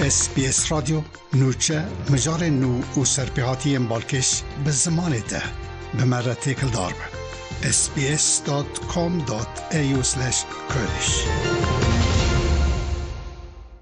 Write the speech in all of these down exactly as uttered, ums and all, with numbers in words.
S B S Radyo, nûçe, mijarên nû û serpêhatiyên balkêş bi zimanê te. Bi me re têkildar be. S B S dot com dot A U slash Kurdish.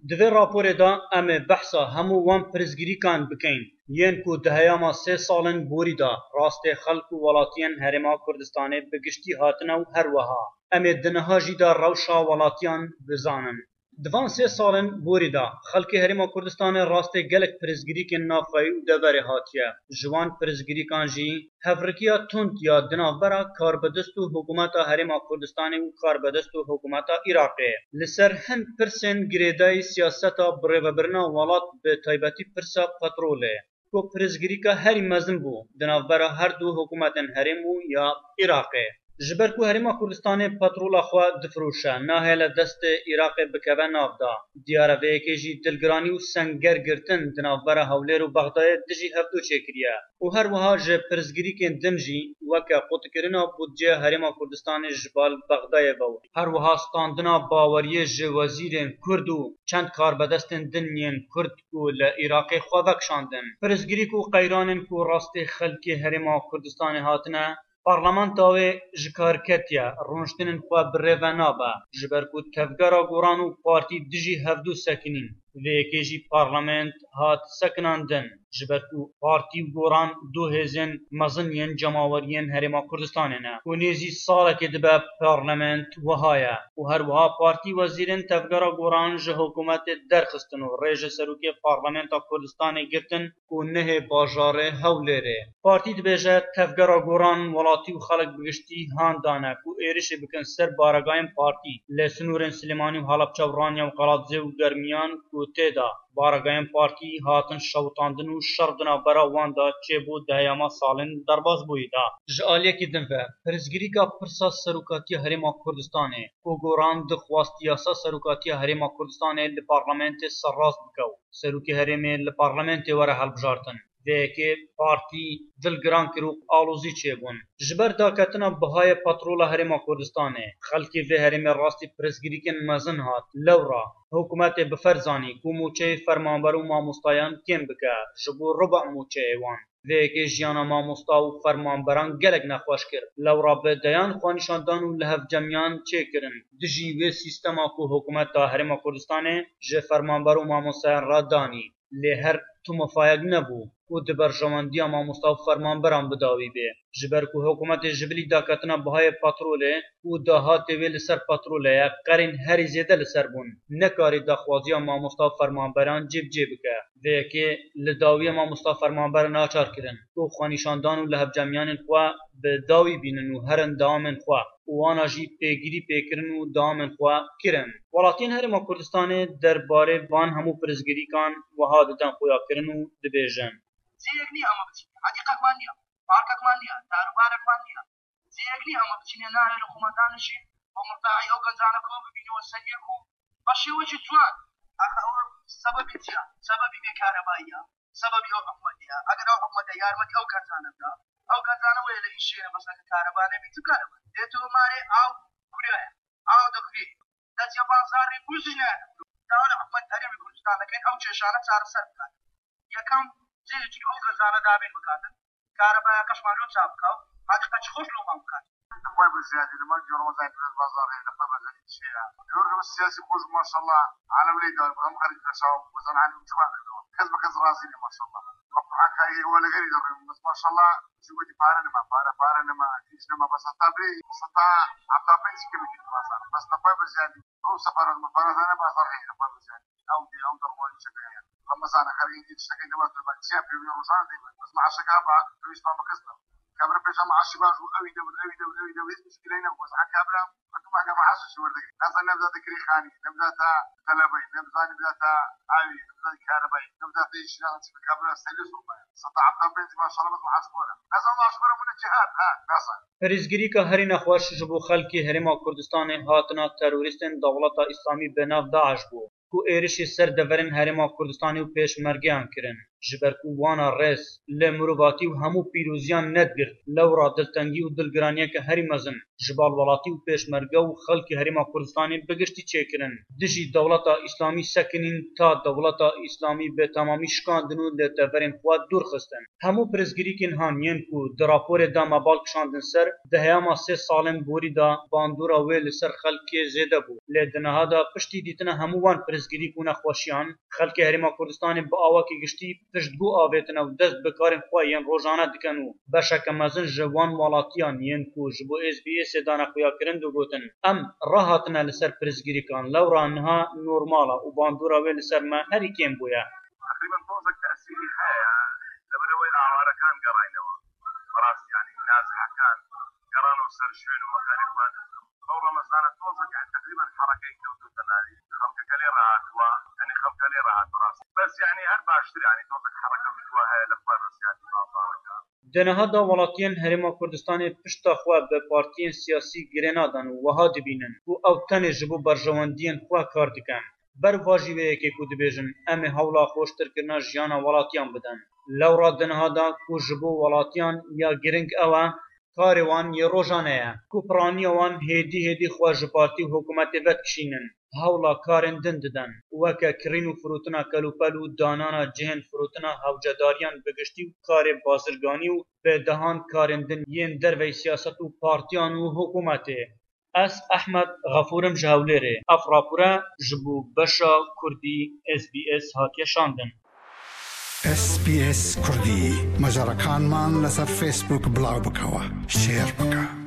Di vê raporê de em ê behsa hemû wan pirsgirîkan bikeyn, yên ku di heyama sê salên borî de rastê xelk û welatiyên Herêma Kurdistanê bi giştî hatine û her wiha em ê di niha jî de rewşa welatiyan bizanin. Di van sê salên borî de xelkê Herêma Kurdistanê rastê gelek pirsgirîkên navxweyî û deverê hatiye. Ji wan pirsgirîkan jî hevrikiya tund ya di navbera karbidest û hikûmeta Herêma Kurdistanê û karbidest û hikûmeta Iraqê. Li ser hin pirsên girêdayî siyaseta birêvebirina welat, bi taybetî pirsa petrolê, ku pirsgirîka herî mezin bû di navbera her du hikûmetên herêm û ya Iraqê. Ji ber ku Herêma Kurdistanê petrola xwe difiroşe, nahêle destê Iraqê bikeve nav de. Diyar e vê yekê jî dilgiranî û senger girtin di navbera Hewlêr û Bexdayê dijî hevdû çêkiriye û her wiha ji pirsgirîkên din jî, weke qutkirina budceya Herêma Kurdistanê ji bal Bexdayê ve û her wiha standina baweriyê ji wezîrên Kurd û çend karbedestên din yên Kurd ku li Iraqê xwe vekişandin. Pirsgirîk û qeyranên ku rastê xelkê Herêma Kurdistanê hatine, parlamenta wê ji kar ketiye, rûniştinên xwe bi rê ve nabe, ji ber ku tevgera goran û partî dijî hevdû sekinîn. Vê yekê jî parlament hat sekinandin, ji ber ku partî û goran du hêzên mezin yên cemaweriyên Herêma Kurdistanê ne û nêzî salekê dibe parlament wiha ye û her wiha partî wezîrên tevgera goran ji hikûmetê derxistin û rê ji serokê parlamenta Kurdistanê girtin ku nehê bajarê Hewlêrê. Partî dibêje, tevgera goran welatî û xelk bi giştî han dane ku êrişê bikin ser baregayên partî li sinûrên Silêmanî û Halebça û Ranya û Qeladizê û Germiyan ku tê de baregayên partî hatin şewitandin û şer di navbera wan de çêbû di heyama salên derbasbûyî de. Ji aliyekî din ve, pirsgirîka pirsa serokatiya Herêma Kurdistanê ku goran dixwast yasa serokatiya Herêma Kurdistanê li parlamentê serrast bike û serokê herêmê li parlamentê were hilbijartin. Vê yekê partî dilgiran kir û alozî çêbûn. Ji ber daketina bihayê petrola Herêma Kurdistanê, xelkê vê herêmê rastî pirsgirîkên mezin hat. Lewra hikûmetê bi ferz zanî ku mûçeyê fermanber û mamostayan kêm bike, ji bo ruba mûçeyê wan. Vê yekê jiyana mamosta û fermanberan gelek nexweş kir. Lewra bi deyan xwenîşandan û lihevcemiyan çêkirin. Dijî wê sîstema ku hikûmeta Herêma Kurdistanê ji fermanber û mamostayan re danî, lê her tu mifayek nebû û di berjewendiya mamosta û fermanberan bi dawî bê. Ji ber ku hikûmetê ji bilî daketina bihayê petrolê û dahatê wê li ser petrolê ye, qerên herî zêde li ser bûn. Nekarî daxwaziya mamosta û fermanberan cêbicê bike. Vê yekê li dawiya mamosta fermanber naçar kirin ku xwenîşandan û lihevcemiyanên xwe bi dawî bînin û herin dewamên xwe û wana jî pêgirî pê kirin û dewamên xwe kirin. Welatiyên Herêma Kurdistanê derbarê van hemû pirsgirîkan wiha didin xuyakirin û dibêjin. Cihek niye ama biçîne. Hedîqek me niye. Parkek me niye. Darûbarek me niye. Cihek niye ama biçîne nahê li xwe me danişîn. Bo murtaî ew gencane ku bibîne we ser yek û be şêwekî ciwan. Axa ew sebebî çi ya? Sebebî bêkarebayî ya. Sebebî ew hikûmetê ya. Eger ew hikûmete yarmetî ew gencane bida, ew gencane wê li îşê ne, bes eger kareba nebî, tu kareba. Dê tu marê ew kurya ye. Ew dikurî. Dest ya bazarê bû jî ne. Dawet hikûmet Herêmê Kurdistan dikin, ew kêşane çareser bikat. Yekem, cihê çi ew gencane dabîn bikatin. Karebaya keşma lo çap bikaw. Hadi kaç hoş lo man bikat. Xwe bi ziyadî li mal Ramazan biraz bazarê li xwe bi xelî dişê ya. Yor siyasî xwe ji maşallah alem lê dar hem xelî xeşaw bizan alem çiba. Kes bi kes razî ne maşallah. Maqtuha kayê we li gerî de maşallah. Ji wekî pare nima, pare, pare nima, hîç nima, bes heta bê, heta heta pênc kilo kî bazar. Bes nefay bi ziyadî. Ew sefera min fena zane bazar heye nefay bi ziyadî. Ew dê, ew derwanî çi be. Ramazan xerî dî tiştekî nima tu bak, çiya pê wî rojan dê bak. Bes maaşek haba, tu îspa bikisna. Kabir pêşa maaşî baş û ew î de, ew î de, ew î de, hiç muşkilê ne. Bes ha kabira, tu ma ka maaş şi werde. Nasa nebda de kirî xanî, nebda ta telebey, nebda, nebda ta avî, nebda ta karibay, nebda ta îşî, nasa çi kabira seli sorma. Seta heta pênc maşallah bes maaş bora. Nasa maaş bora mune cihad, ha, nasa. Pirsgirîka herî nexweş ji bo xelkê Herêma Kurdistanê hatina terorîstên Dewleta Îslamî bi nav DAIŞ bû, ku êrişî ser deverên Herêma Kurdistanê û pêşmergeyan kirin. ji ber ku wana rêz, lê mirovatî û hemû pîroziyan nedigirt. Lewra diltengî û dilgiraniyeke herî mezin ji bal welatî û pêşmerge û xelkê Herêma Kurdistanê bi giştî çêkirin. Dijî dewleta Îslamî sekinîn ta dewleta Îslamî bi temamî şikandin û li deverên xwe dûr xistin. Hemû pirsgirêkên han yên ku di raporê de me bal kişandin ser, di heyama sê salên borî de bandora wê li ser xelkê zêde bû. Lê di niha de piştî dîtina hemû wan pirsgirêk û nexweşiyan, xelkê Herêma Kurdistanê bi awakî giştî piştgû avêtine û dest bi karên xwe yên rojane dikin û beşeke mezin ji wan welatiyan yên ku ji bo S B S'ê dane xuyakirin digotin, em rahatine li ser pirsgirêkan, lewra niha normal e û bandora wê li ser me herî kêm bûye. تقريبا تۆزێک تەسیری هەیە لەبەرەوەی ئاوارەکان گەڕاینەوە بەڕاست یعنی نازحەکان گەڕانەوە سەر شوێن و مەکانی خۆیان ئەو ڕەمەزانە تۆزێک یعنی تقريبا حەڕەکەی کەوتوتە ناوی خەڵکەکە لێ ڕاهاتوە یعنی خەڵکە لێ ڕاهات بەڕاست بەس یعنی هەر باشتر یعنی تۆزێک حەڕەکە بتوە هەیە لە خوار ڕسیاتی بازارەکە. Di niha de welatiyên Herêma Kurdistanê pişta xwe bi partiyên siyasî girê nadan û wiha dibînin ku ew tenê ji bo berjewendiyên xwe kar dikin. Ber va jî vê yekê ku dibêjin, em ê hewla xweştirkirina jiyana welatiyan bidin. Lewra di niha de ku ji bo welatiyan ya giring ew e, karê wan yê rojane ye ku piraniya wan hêdî hêdî xwe ji partî û hikûmetê vedikişînin, hewla karên din didin, weke kirîn û firotina kelûpel û danana cihên firotina hewcedariyan bi giştî û karê bazirganî û bi dehan karên din yên derveyî siyaset û partiyan û hikûmetê. Ez Ehmed Xefûr im ji Hewlêrê. Ev rapore ji bo beşa Kurdî S B S hatiye şandin. S B S Kurdî, مەجەڕەکانمان لەسەر فەیسبووک بڵاو بکەوە، شێر بکە.